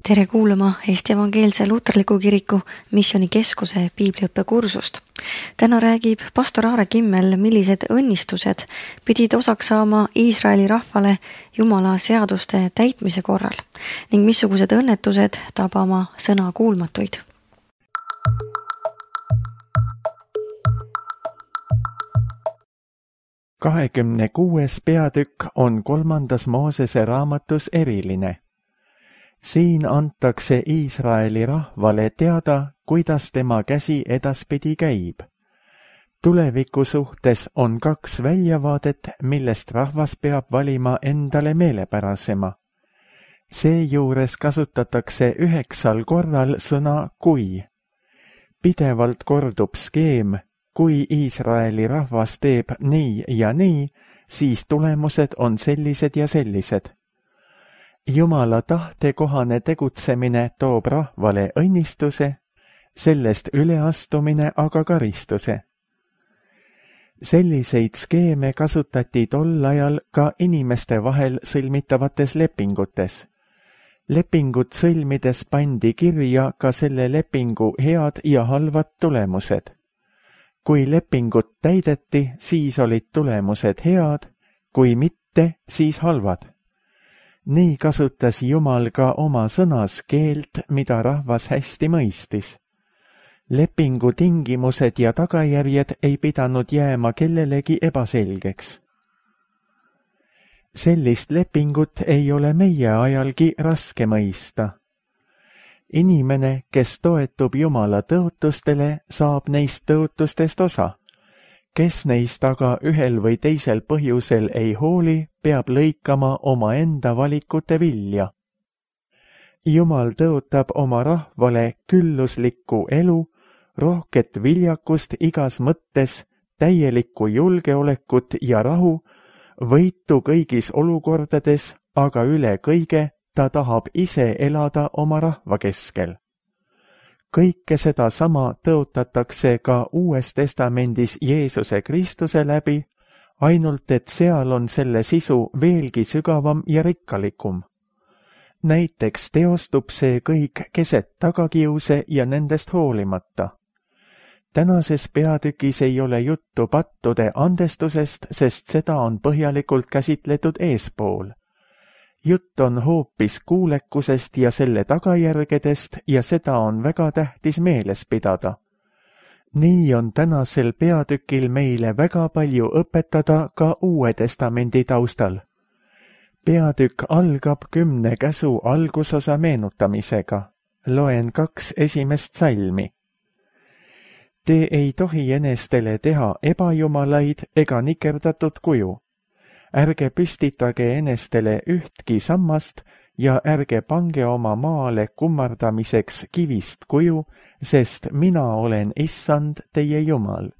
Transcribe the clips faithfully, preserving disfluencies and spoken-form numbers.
Tere kuulama Eesti Evangeelse Luterliku Kiriku Missioonikeskuse piibliõppekursust. Täna räägib pastor Aare Kimmel, millised õnnistused pidid osaks saama Iisraeli rahvale Jumala seaduste täitmise korral ning missugused õnnetused tabama sõna kuulmatuid. kahekümne kuues peatükk on kolmandas Moosese raamatus eriline. Siin antakse Iisraeli rahvale teada, kuidas tema käsi edaspidi käib. Tuleviku suhtes on kaks väljavaadet, millest rahvas peab valima endale meelepärasema. Seejuures kasutatakse üheksal korral sõna kui. Pidevalt kordub skeem, kui Iisraeli rahvas teeb nii ja nii, siis tulemused on sellised ja sellised. Jumala tahtekohane tegutsemine toob rahvale õnnistuse, sellest üleastumine aga karistuse. Selliseid skeeme kasutati tol ajal ka inimeste vahel sõlmitavates lepingutes. Lepingut sõlmides pandi kirja ka selle lepingu head ja halvad tulemused. Kui lepingut täideti, siis olid tulemused head, kui mitte, siis halvad. Nii kasutas Jumal ka oma sõnas keelt, mida rahvas hästi mõistis. Lepingu tingimused ja tagajärjed ei pidanud jääma kellelegi ebaselgeks. Sellist lepingut ei ole meie ajalgi raske mõista. Inimene, kes toetub Jumala tõotustele, saab neist tõotustest osa. Kes neist aga ühel või teisel põhjusel ei hooli, peab lõikama oma enda valikute vilja. Jumal tõotab oma rahvale külluslikku elu, rohket viljakust igas mõttes, täielikku julgeolekut ja rahu, võitu kõigis olukordades, aga üle kõige ta tahab ise elada oma rahva keskel. Kõike seda sama tõotatakse ka Uues Testamendis Jeesuse Kristuse läbi, ainult et seal on selle sisu veelgi sügavam ja rikkalikum. Näiteks teostub see kõik keset tagakiuse ja nendest hoolimata. Tänases peatükis ei ole juttu pattude andestusest, sest seda on põhjalikult käsitletud eespool. Jutt on hoopis kuulekusest ja selle tagajärgedest ja seda on väga tähtis meeles pidada. Nii on tänasel peatükil meile väga palju õpetada ka Uue Testamendi taustal. Peatükk algab kümne käsu algusosa meenutamisega. Loen kaks esimest salmi. Te ei tohi enestele teha ebajumalaid ega nikerdatud kuju. Ärge püstitage enestele ühtki sammast ja ärge pange oma maale kummardamiseks kivist kuju, sest mina olen Issand teie Jumal.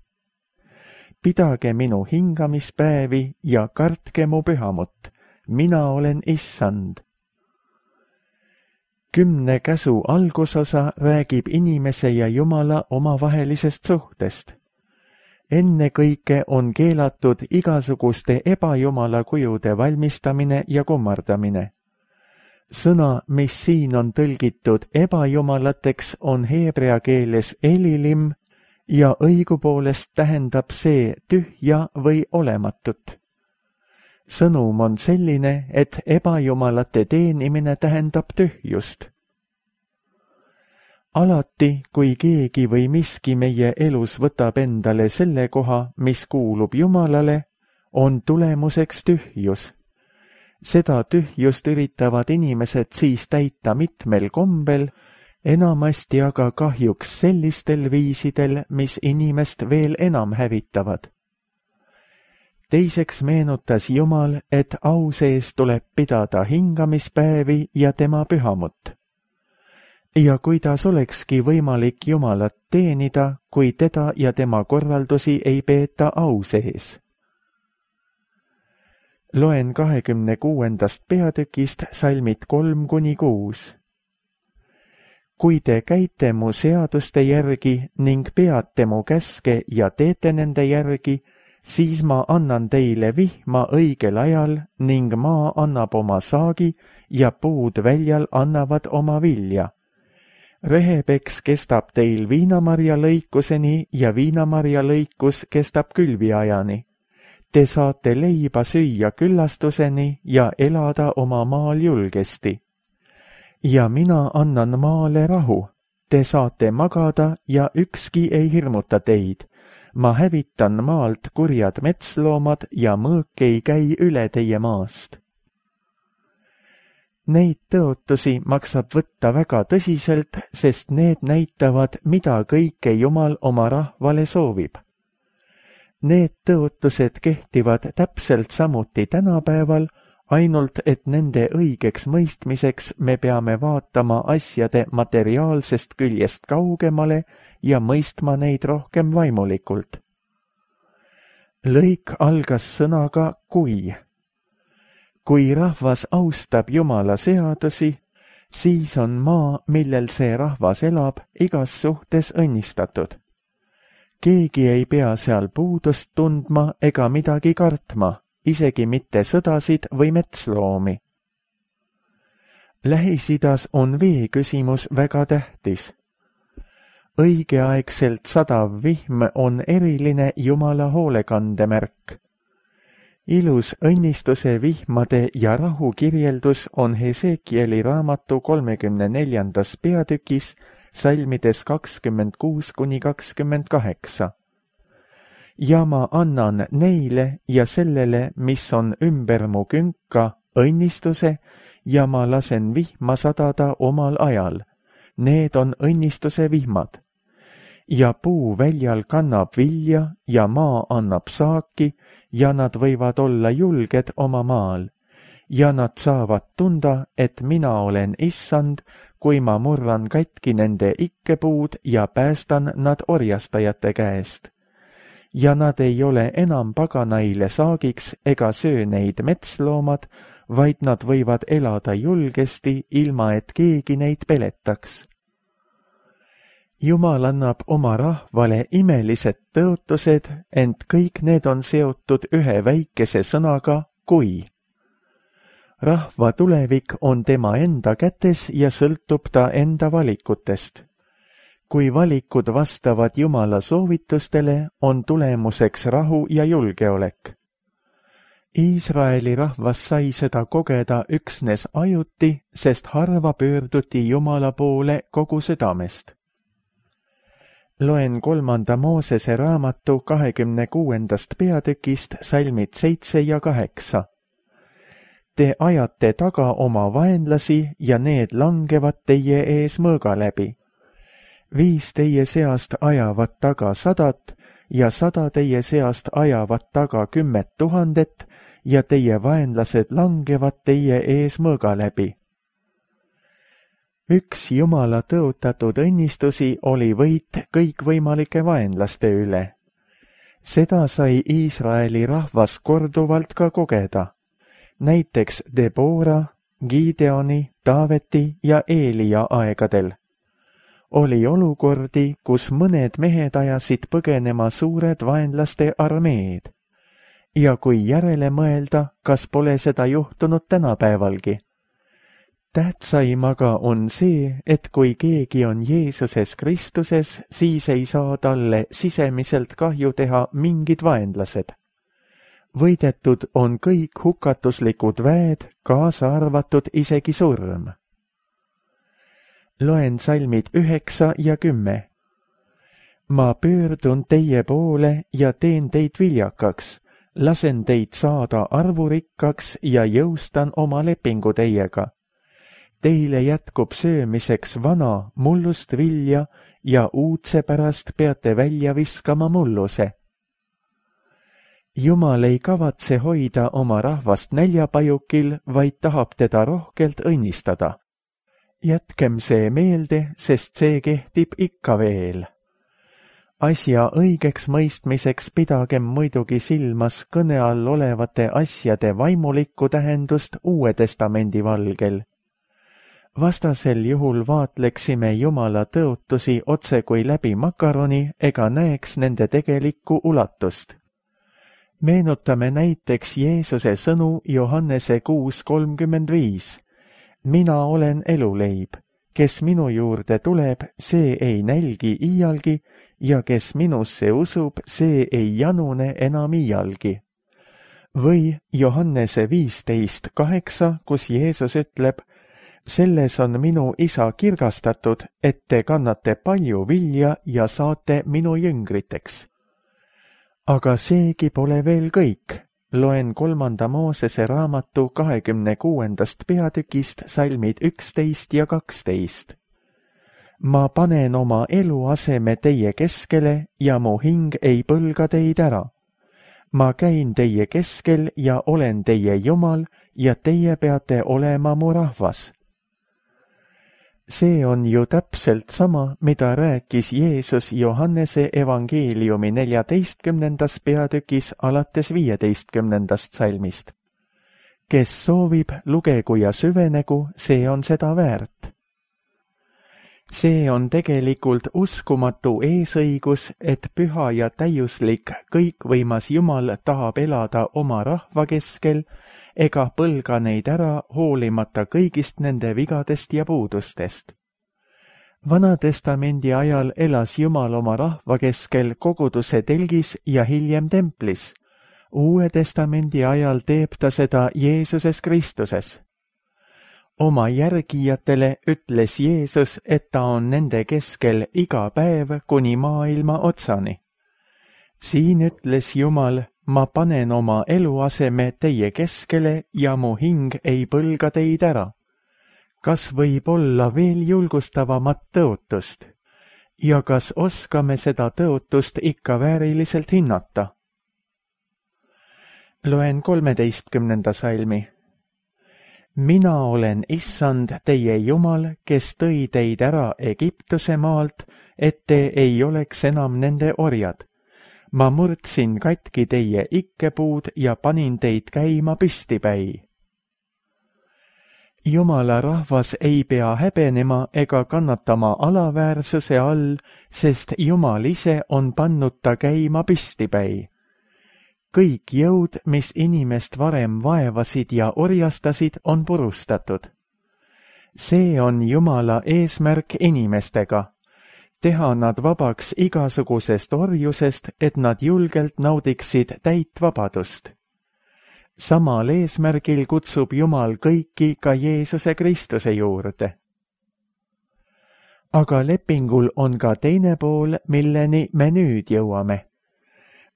Pidage minu hingamispäevi ja kartke mu pühamut, mina olen Issand. Kümne käsu algusosa räägib inimese ja Jumala omavahelisest suhtest. Ennekõike on keelatud igasuguste ebajumala kujude valmistamine ja kummardamine. Sõna, mis siin on tõlgitud ebajumalateks, on heebrea keeles elilim ja õigupoolest tähendab see tühja või olematut. Sõnum on selline, et ebajumalate teenimine tähendab tühjust. Alati, kui keegi või miski meie elus võtab endale selle koha, mis kuulub Jumalale, on tulemuseks tühjus. Seda tühjust üritavad inimesed siis täita mitmel kombel, enamasti aga kahjuks sellistel viisidel, mis inimest veel enam hävitavad. Teiseks meenutas Jumal, et au sees tuleb pidada hingamispäevi ja tema pühamut. Ja kuidas olekski võimalik Jumalat teenida, kui teda ja tema korraldusi ei peeta au sees? Loen kahekümne kuuendast peatükist salmid kolm kuni kuus. Kui te käite mu seaduste järgi ning peate mu käske ja teete nende järgi, siis ma annan teile vihma õigel ajal ning maa annab oma saagi ja puud väljal annavad oma vilja. Rehepeks kestab teil viinamarja lõikuseni ja viinamarja lõikus kestab külviajani. Te saate leiba süüa küllastuseni ja elada oma maal julgesti. Ja mina annan maale rahu. Te saate magada ja ükski ei hirmuta teid. Ma hävitan maalt kurjad metsloomad ja mõõk ei käi üle teie maast. Neid tõotusi maksab võtta väga tõsiselt, sest need näitavad, mida kõike Jumal oma rahvale soovib. Need tõotused kehtivad täpselt samuti tänapäeval, ainult et nende õigeks mõistmiseks me peame vaatama asjade materiaalsest küljest kaugemale ja mõistma neid rohkem vaimulikult. Lõik algas sõnaga kui. Kui rahvas austab Jumala seadusi, siis on maa, millel see rahvas elab, igas suhtes õnnistatud. Keegi ei pea seal puudust tundma ega midagi kartma, isegi mitte sõdasid või metsloomi. Lähis-Idas on vee küsimus väga tähtis. Õigeaegselt sadav vihm on eriline Jumala hoolekandemärk. Ilus õnnistuse vihmade ja rahu kirjeldus on Hesekieli raamatu kolmekümne neljandas peatükis salmides kakskümmend kuus kuni kakskümmend kaheksa. Ja ma annan neile ja sellele, mis on ümber mu künka, õnnistuse ja ma lasen vihma sadada omal ajal. Need on õnnistuse vihmad. Ja puu väljal kannab vilja ja maa annab saaki ja nad võivad olla julged oma maal. Ja nad saavad tunda, et mina olen issand, kui ma murran katki nende ikkepuud ja päästan nad orjastajate käest. Ja nad ei ole enam paganaile saagiks ega söö neid metsloomad, vaid nad võivad elada julgesti, ilma et keegi neid peletaks. Jumal annab oma rahvale imelised tõotused, ent kõik need on seotud ühe väikese sõnaga kui. Rahva tulevik on tema enda kätes ja sõltub ta enda valikutest. Kui valikud vastavad Jumala soovitustele, on tulemuseks rahu ja julgeolek. Iisraeli rahvas sai seda kogeda üksnes ajuti, sest harva pöörduti Jumala poole kogu südamest. Loen kolmanda Moosese raamatu kahekümne kuuendast peatükist salmid seitse ja kaheksa. Te ajate taga oma vaenlasi ja need langevad teie ees mõõga läbi. Viis teie seast ajavad taga sadat ja sada teie seast ajavad taga kümmet tuhandet ja teie vaenlased langevad teie ees mõõga läbi. Üks Jumala tõotatud õnnistusi oli võit kõikvõimalike vaenlaste üle. Seda sai Iisraeli rahvas korduvalt ka kogeda. Näiteks Debora, Gideoni, Taaveti ja Eelia aegadel. Oli olukordi, kus mõned mehed ajasid põgenema suured vaenlaste armeed. Ja kui järele mõelda, kas pole seda juhtunud tänapäevalgi? Tähtsaim aga on see, et kui keegi on Jeesuses Kristuses, siis ei saa talle sisemiselt kahju teha mingid vaenlased. Võidetud on kõik hukatuslikud väed, kaasa arvatud isegi surm. Loen salmid üheksa ja kümme. Ma pöördun teie poole ja teen teid viljakaks, lasen teid saada arvurikkaks ja jõustan oma lepingu teiega. Teile jätkub söömiseks vana mullust vilja ja uudse pärast peate välja viskama mulluse. Jumal ei kavatse hoida oma rahvast näljapajukil, vaid tahab teda rohkelt õnnistada. Jätkem see meelde, sest see kehtib ikka veel. Asja õigeks mõistmiseks pidagem muidugi silmas kõne all olevate asjade vaimulikku tähendust Uue Testamendi valgel. Vastasel juhul vaatleksime Jumala tõotusi otse kui läbi makaroni ega näeks nende tegelikku ulatust. Meenutame näiteks Jeesuse sõnu Johannese kuus kolmkümmend viis. Mina olen eluleib, kes minu juurde tuleb, see ei nälgi iialgi ja kes minusse usub, see ei janune enam iialgi. Või Johannese viisteist kaheksa, kus Jeesus ütleb, selles on minu isa kirgastatud, et te kannate palju vilja ja saate minu jüngriteks. Aga seegi pole veel kõik. Loen kolmanda Moosese raamatu kahekümne kuuendast peatükist salmid üksteist ja kaksteist. Ma panen oma eluaseme teie keskele ja mu hing ei põlga teid ära. Ma käin teie keskel ja olen teie Jumal ja teie peate olema mu rahvas. See on ju täpselt sama, mida rääkis Jeesus Johannese evangeeliumi neljateistkümnendas peatükis alates viieteistkümnendast salmist. Kes soovib, lugegu ja süvenegu, see on seda väärt. See on tegelikult uskumatu eesõigus, et püha ja täiuslik kõikvõimas Jumal tahab elada oma rahva keskel ega põlga neid ära hoolimata kõigist nende vigadest ja puudustest. Vanatestamendi ajal elas Jumal oma rahva keskel koguduse telgis ja hiljem templis. Uue testamendi ajal teeb ta seda Jeesuses Kristuses. Oma järgijatele ütles Jeesus, et ta on nende keskel iga päev kuni maailma otsani. Siin ütles Jumal, ma panen oma eluaseme teie keskele ja mu hing ei põlga teid ära. Kas võib olla veel julgustavamat tõotust? Ja kas oskame seda tõotust ikka vääriliselt hinnata? Loen kolmeteistkümnenda salmi. Mina olen issand teie Jumal, kes tõi teid ära Egiptuse maalt, et te ei oleks enam nende orjad. Ma murdsin katki teie ikkepuud ja panin teid käima püstipäi. Jumala rahvas ei pea häbenema ega kannatama alaväärsuse all, sest Jumal ise on pannud ta käima püstipäi. Kõik jõud, mis inimest varem vaevasid ja orjastasid, on purustatud. See on Jumala eesmärk inimestega. Teha nad vabaks igasugusest orjusest, et nad julgelt naudiksid täit vabadust. Samal eesmärgil kutsub Jumal kõiki ka Jeesuse Kristuse juurde. Aga lepingul on ka teine pool, milleni me nüüd jõuame.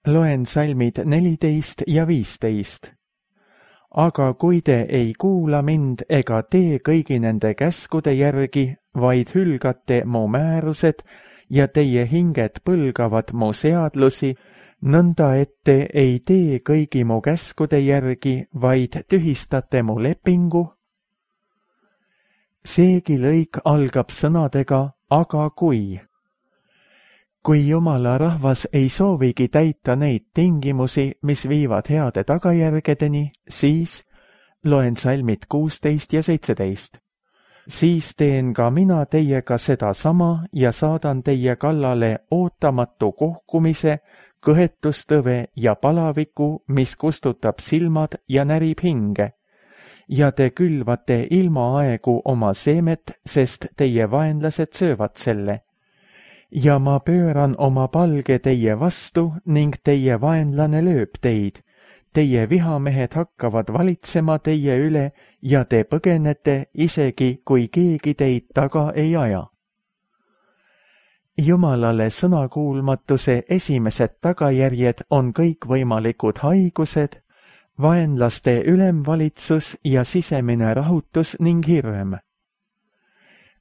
Loen salmid neliteist ja viisteist. Aga kui te ei kuula mind ega tee kõigi nende käskude järgi, vaid hülgate mu määrused ja teie hinged põlgavad mu seadlusi, nõnda et te ei tee kõigi mu käskude järgi, vaid tühistate mu lepingu. Seegi lõik algab sõnadega, aga kui. Kui Jumala rahvas ei soovigi täita neid tingimusi, mis viivad heade tagajärgedeni, siis, loen salmid kuusteist ja seitseteist, siis teen ka mina teiega seda sama ja saadan teie kallale ootamatu kohkumise, kõhetustõve ja palaviku, mis kustutab silmad ja närib hinge. Ja te külvate ilmaaegu oma seemet, sest teie vaenlased söövad selle. Ja ma pööran oma palge teie vastu ning teie vaenlane lööb teid. Teie vihamehed hakkavad valitsema teie üle ja te põgenete, isegi kui keegi teid taga ei aja. Jumalale sõnakuulmatuse esimesed tagajärjed on kõikvõimalikud haigused, vaenlaste ülemvalitsus ja sisemine rahutus ning hirm.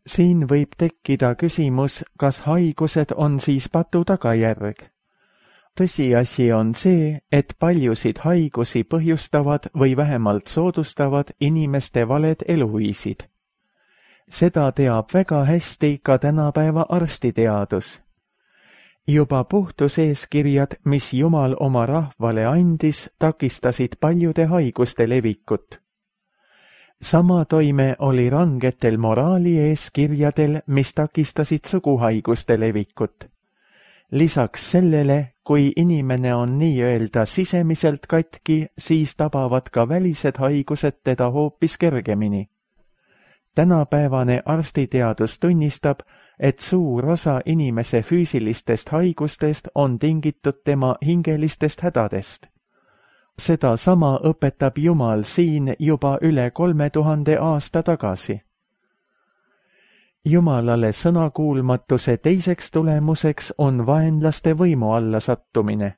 Siin võib tekkida küsimus, kas haigused on siis patu tagajärg. Tõsiasi on see, et paljusid haigusi põhjustavad või vähemalt soodustavad inimeste valed eluviisid. Seda teab väga hästi ka tänapäeva arstiteadus. Juba puhtuseeskirjad, mis Jumal oma rahvale andis, takistasid paljude haiguste levikut. Sama toime oli rangetel moraali eeskirjadel, mis takistasid suguhaiguste levikut. Lisaks sellele, kui inimene on nii-öelda sisemiselt katki, siis tabavad ka välised haigused teda hoopis kergemini. Tänapäevane arstiteadus tunnistab, et suur osa inimese füüsilistest haigustest on tingitud tema hingelistest hädadest. Seda sama õpetab Jumal siin juba üle kolme tuhande aasta tagasi. Jumalale sõnakuulmatuse teiseks tulemuseks on vaenlaste võimu alla sattumine.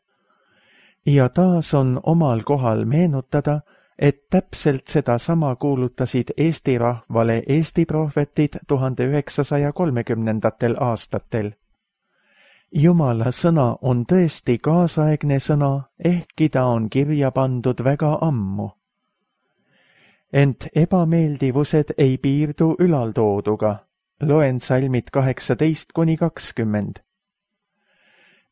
Ja taas on omal kohal meenutada, et täpselt seda sama kuulutasid Eesti rahvale Eesti prohvetid tuhande üheksasaja kolmekümnendatel aastatel. Jumala sõna on tõesti kaasaegne sõna, ehkki ta on kirja pandud väga ammu. Ent ebameeldivused ei piirdu ülaltooduga. Loen salmid kaheksateist kuni kakskümmend.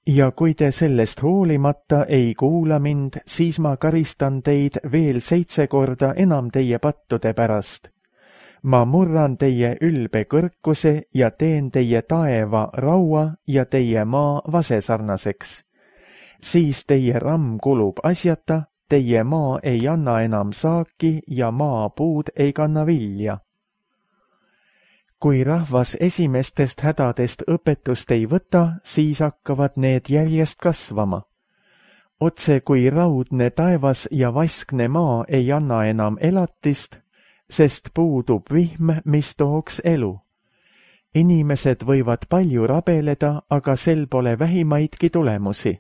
Ja kui te sellest hoolimata ei kuula mind, siis ma karistan teid veel seitse korda enam teie pattude pärast. Ma murran teie ülbe kõrkuse ja teen teie taeva raua ja teie maa vasesarnaseks. Siis teie ramm kulub asjata, teie maa ei anna enam saaki ja maapuud ei kanna vilja. Kui rahvas esimestest hädadest õpetust ei võta, siis hakkavad need järjest kasvama. Otse kui raudne taevas ja vaskne maa ei anna enam elatist, sest puudub vihm, mis tooks elu. Inimesed võivad palju rabeleda, aga sel pole vähimaidki tulemusi.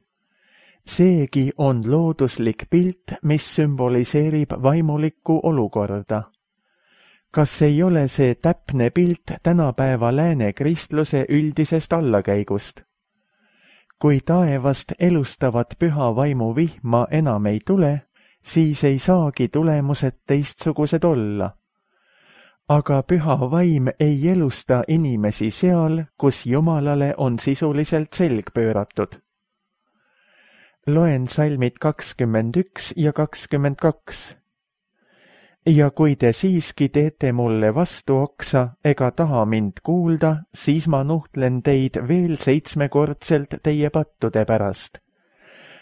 Seegi on looduslik pilt, mis sümboliseerib vaimulikku olukorda. Kas ei ole see täpne pilt tänapäeva lääne kristluse üldisest allakäigust? Kui taevast elustavat püha vaimu vihma enam ei tule, siis ei saagi tulemused teistsugused olla. Aga püha vaim ei elusta inimesi seal, kus Jumalale on sisuliselt selg pööratud. Loen salmid kakskümmend üks ja kakskümmend kaks. Ja kui te siiski teete mulle vastu oksa ega taha mind kuulda, siis ma nuhtlen teid veel seitsmekordselt teie pattude pärast.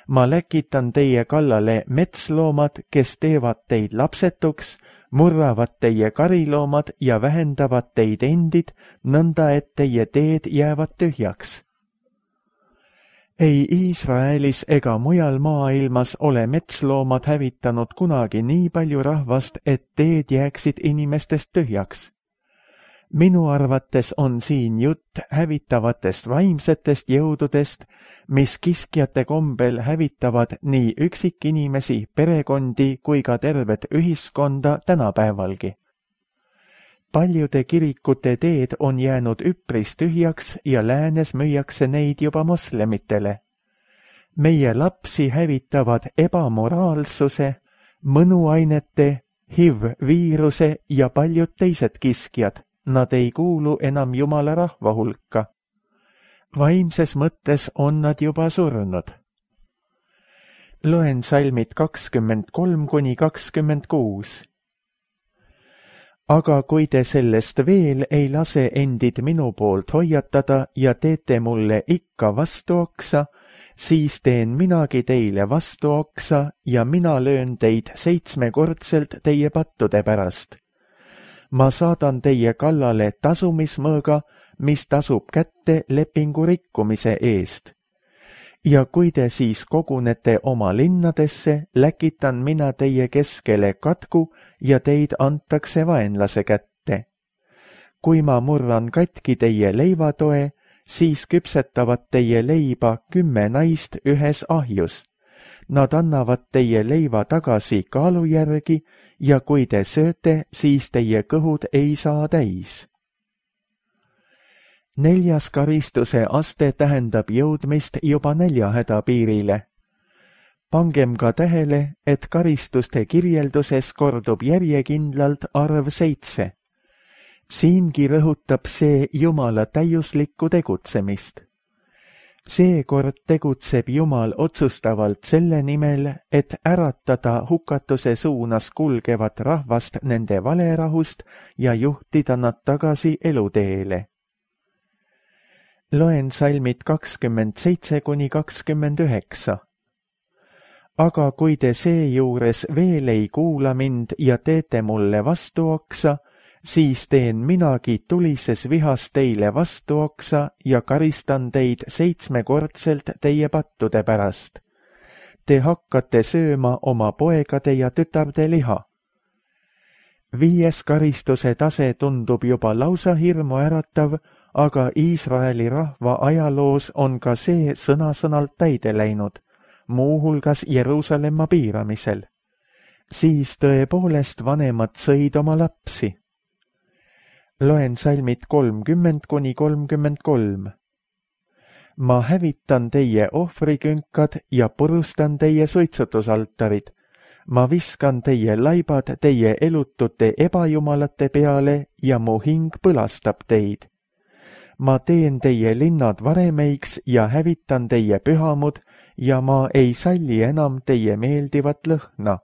Ma läkitan teie kallale metsloomad, kes teevad teid lapsetuks, murravad teie kariloomad ja vähendavad teid endid, nõnda et teie teed jäävad tühjaks. Ei Iisraelis ega mujal maailmas ole metsloomad hävitanud kunagi nii palju rahvast, et teed jääksid inimestest tühjaks. Minu arvates on siin jutt hävitavatest vaimsetest jõududest, mis kiskjate kombel hävitavad nii üksikinimesi, perekondi kui ka tervet ühiskonda tänapäevalgi. Paljude kirikute teed on jäänud üpris tühjaks ja läänes müüakse neid juba moslemitele. Meie lapsi hävitavad ebamoraalsuse, mõnuainete, H I V-viiruse ja paljud teised kiskjad. Nad ei kuulu enam Jumala rahva hulka. Vaimses mõttes on nad juba surnud. Loen salmid kakskümmend kolm kuni kakskümmend kuus. Aga kui te sellest veel ei lase endid minu poolt hoiatada ja teete mulle ikka vastuoksa, siis teen minagi teile vastuoksa ja mina löön teid seitsmekordselt teie pattude pärast. Ma saadan teie kallale tasumismõõga, mis tasub kätte lepingu rikkumise eest. Ja kui te siis kogunete oma linnadesse, läkitan mina teie keskele katku ja teid antakse vaenlase kätte. Kui ma murran katki teie leivatoe, siis küpsetavad teie leiba kümme naist ühes ahjus. Nad annavad teie leiva tagasi kaalu järgi ja kui te sööte, siis teie kõhud ei saa täis. Neljas karistuse aste tähendab jõudmist juba näljahäda piirile. Pangem ka tähele, et karistuste kirjelduses kordub järjekindlalt arv seitse. Siingi rõhutab see Jumala täiuslikku tegutsemist. Seekord tegutseb Jumal otsustavalt selle nimel, et äratada hukatuse suunas kulgevat rahvast nende valerahust ja juhtida nad tagasi eluteele. Loen salmid kakskümmend seitse kuni kakskümmend üheksa. Aga kui te seejuures veel ei kuula mind ja teete mulle vastuoksa, siis teen minagi tulises vihas teile vastuoksa ja karistan teid seitsmekordselt teie pattude pärast. Te hakkate sööma oma poegade ja tütarde liha. Viies karistuse tase tundub juba lausa hirmuäratav, aga Iisraeli rahva ajaloos on ka see sõna-sõnalt täide läinud, muuhulgas Jeruusalemma piiramisel. Siis tõepoolest vanemad sõid oma lapsi. Loen salmid kolmkümmend kuni kolmkümmend kolm. Ma hävitan teie ohvrikünkad ja purustan teie suitsutusaltarid. Ma viskan teie laibad teie elutute ebajumalate peale ja mu hing põlastab teid. Ma teen teie linnad varemeiks ja hävitan teie pühamud ja ma ei salli enam teie meeldivat lõhna.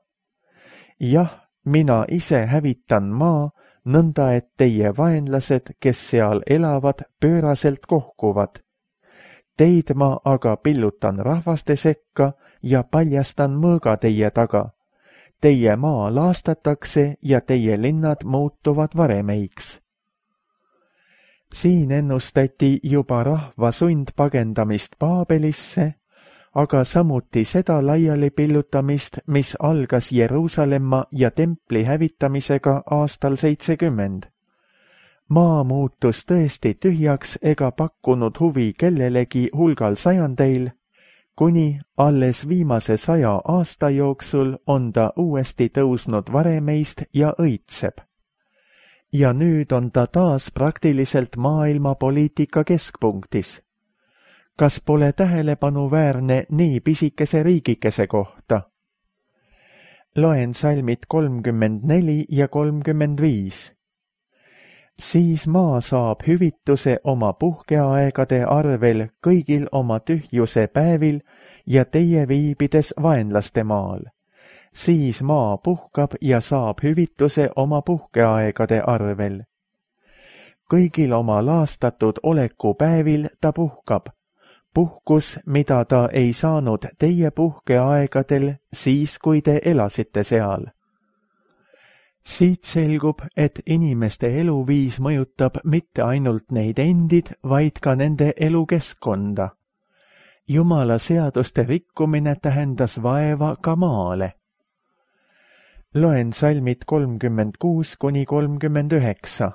Jah, mina ise hävitan maa, nõnda et teie vaenlased, kes seal elavad, pööraselt kohkuvad. Teid ma aga pillutan rahvaste sekka ja paljastan mõõga teie taga. Teie maa laastatakse ja teie linnad muutuvad varemeiks. Siin ennustati juba rahva sundpagendamist Paabelisse, aga samuti seda laiali pillutamist, mis algas Jeruusalemma ja templi hävitamisega aastal seitsekümmend. Maa muutus tõesti tühjaks ega pakkunud huvi kellelegi hulgal sajandeil, kuni alles viimase saja aasta jooksul on ta uuesti tõusnud varemeist ja õitseb. Ja nüüd on ta taas praktiliselt maailma poliitika keskpunktis. Kas pole tähelepanuväärne nii pisikese riigikese kohta? Loen salmid kolmkümmend neli ja kolmkümmend viis. Siis maa saab hüvituse oma puhkeaegade arvel kõigil oma tühjuse päevil ja teie viibides vaenlaste maal. Siis maa puhkab ja saab hüvituse oma puhkeaegade arvel. Kõigil oma laastatud oleku päevil ta puhkab. Puhkus, mida ta ei saanud teie puhkeaegadel siis, kui te elasite seal. Siit selgub, et inimeste eluviis mõjutab mitte ainult neid endid, vaid ka nende elukeskkonda. Jumala seaduste rikkumine tähendas vaeva ka maale. Loen salmid kolmkümmend kuus kuni kolmkümmend üheksa.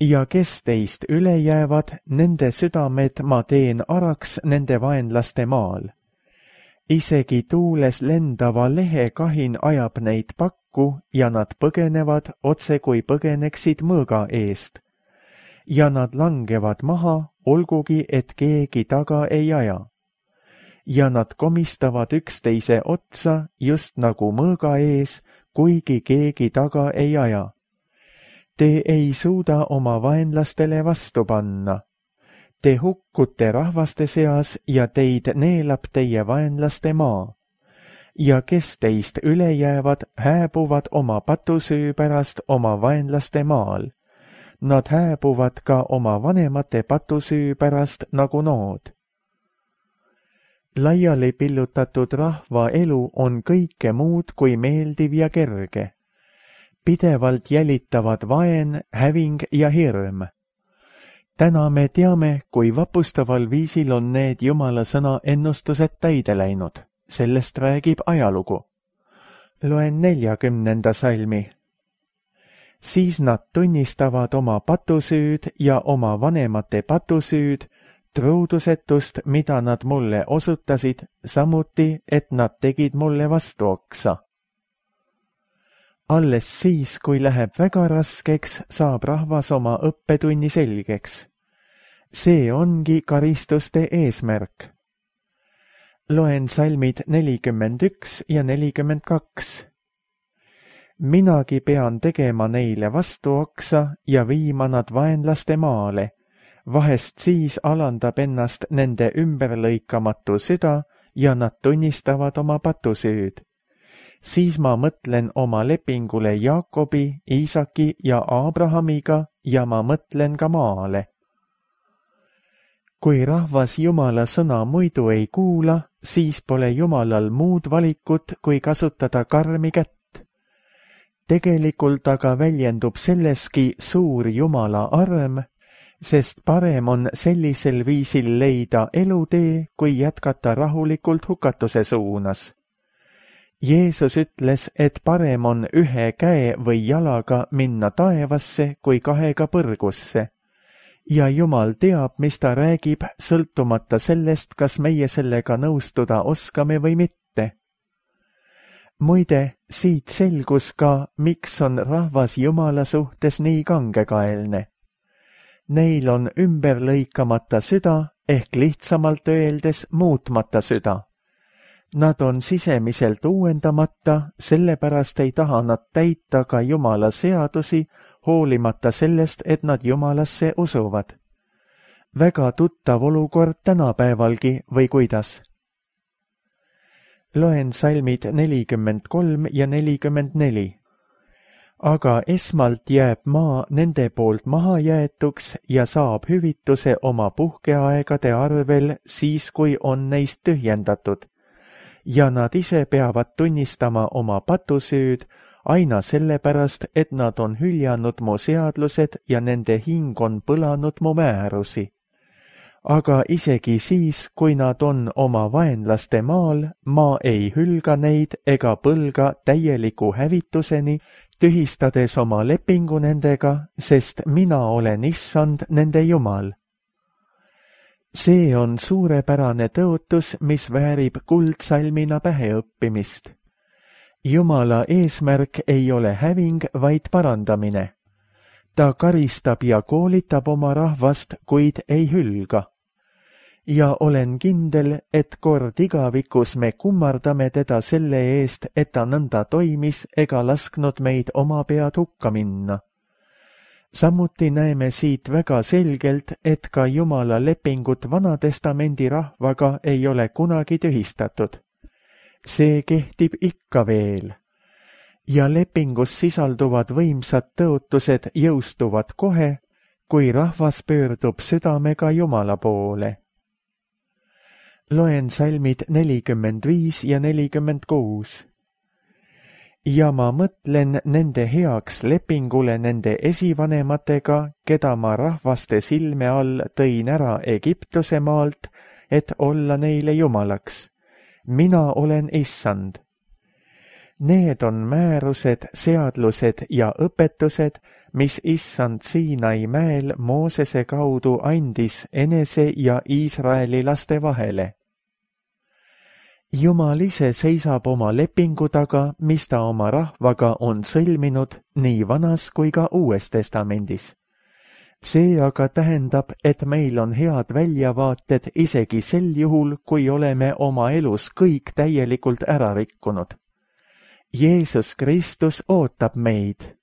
Ja kes teist üle jäävad, nende südamed ma teen araks nende vaenlaste maal. Isegi tuules lendava lehekahin ajab neid pakku ja nad põgenevad otse kui põgeneksid mõõga eest. Ja nad langevad maha, olgugi et keegi taga ei aja. Ja nad komistavad üksteise otsa just nagu mõõga ees, kuigi keegi taga ei aja. Te ei suuda oma vaenlastele vastu panna. Te hukkute rahvaste seas ja teid neelab teie vaenlaste maa. Ja kes teist üle jäävad, hääbuvad oma patusüü pärast oma vaenlaste maal. Nad hääbuvad ka oma vanemate patusüü pärast nagu nood. Laiali pillutatud rahva elu on kõike muud kui meeldiv ja kerge. Pidevalt jälitavad vaen, häving ja hirm. Täna me teame, kui vapustaval viisil on need Jumala sõna ennustused täide läinud. Sellest räägib ajalugu. Loen neljakümnenda salmi. Siis nad tunnistavad oma patusüüd ja oma vanemate patusüüd, truudusetust, mida nad mulle osutasid, samuti, et nad tegid mulle vastuoksa. Alles siis, kui läheb väga raskeks, saab rahvas oma õppetunni selgeks. See ongi karistuste eesmärk. Loen salmid nelikümmend üks ja nelikümmend kaks. Minagi pean tegema neile vastuoksa ja viima nad vaenlaste maale. Vahest siis alandab ennast nende ümberlõikamatu süda ja nad tunnistavad oma patusüüd. Siis ma mõtlen oma lepingule Jaakobi, Iisaki ja Abrahamiga ja ma mõtlen ka maale. kui rahvas Jumala sõna muidu ei kuula, siis pole Jumalal muud valikut, kui kasutada karmi kätt. Tegelikult aga väljendub selleski suur Jumala arm, sest parem on sellisel viisil leida elutee, kui jätkata rahulikult hukatuse suunas. Jeesus ütles, et parem on ühe käe või jalaga minna taevasse, kui kahega põrgusse. Ja Jumal teab, mis ta räägib, sõltumata sellest, kas meie sellega nõustuda oskame või mitte. Muide, siit selgus ka, miks on rahvas Jumala suhtes nii kangekaelne. Neil on ümberlõikamata süda, ehk lihtsamalt öeldes muutmata süda. Nad on sisemiselt uuendamata, sellepärast ei taha nad täita ka Jumala seadusi, hoolimata sellest, et nad Jumalasse usuvad. Väga tuttav olukord tänapäevalgi või kuidas? Loen salmid nelikümmend kolm ja nelikümmend neli. Aga esmalt jääb maa nende poolt maha jäetuks ja saab hüvituse oma puhkeaegade arvel siis, kui on neist tühjendatud. Ja nad ise peavad tunnistama oma patusüüd aina sellepärast, et nad on hüljanud mu seadlused ja nende hing on põlanud mu määrusi. Aga isegi siis, kui nad on oma vaenlaste maal, ma ei hülga neid ega põlga täieliku hävituseni, tühistades oma lepingu nendega, sest mina olen issand nende Jumal. See on suurepärane tõotus, mis väärib kuldsalmina päheõppimist. Jumala eesmärk ei ole häving, vaid parandamine. Ta karistab ja koolitab oma rahvast, kuid ei hülga. Ja olen kindel, et kord igavikus me kummardame teda selle eest, et ta nõnda toimis ega lasknud meid oma pead hukka minna. Samuti näeme siit väga selgelt, et ka Jumala lepingut Vanatestamendi rahvaga ei ole kunagi tühistatud. See kehtib ikka veel. Ja lepingus sisalduvad võimsad tõotused jõustuvad kohe, kui rahvas pöördub südamega Jumala poole. Loen salmid nelikümmend viis ja nelikümmend kuus. Ja ma mõtlen nende heaks lepingule nende esivanematega, keda ma rahvaste silme all tõin ära Egiptuse maalt, et olla neile jumalaks. Mina olen issand. Need on määrused, seadlused ja õpetused, mis issand Siinai mäel Moosese kaudu andis enese ja Iisraeli laste vahele. Jumal ise seisab oma lepingu taga, mis ta oma rahvaga on sõlminud nii Vanas kui ka Uues Testamendis. See aga tähendab, et meil on head väljavaated isegi sel juhul, kui oleme oma elus kõik täielikult ära rikkunud. Jeesus Kristus ootab meid.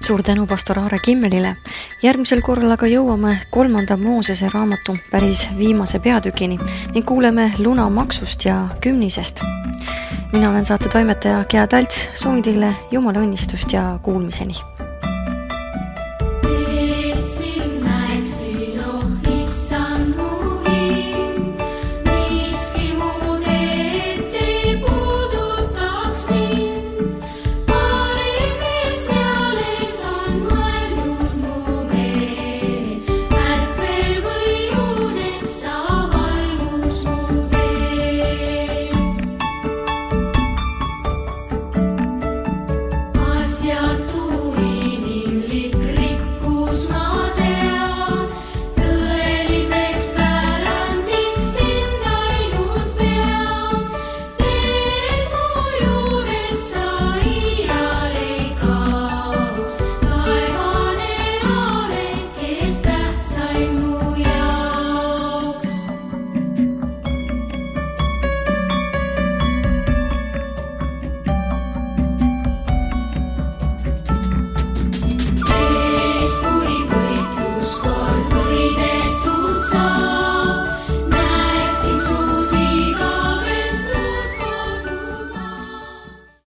Suur tänu pastor Aare Kimmelile. Järgmisel korral aga jõuame kolmanda Moosese raamatu päris viimase peatükini ning kuuleme lunamaksust ja kümnisest. Mina olen saate toimetaja Gea Talts, soovin teile Jumala õnnistust ja kuulmiseni.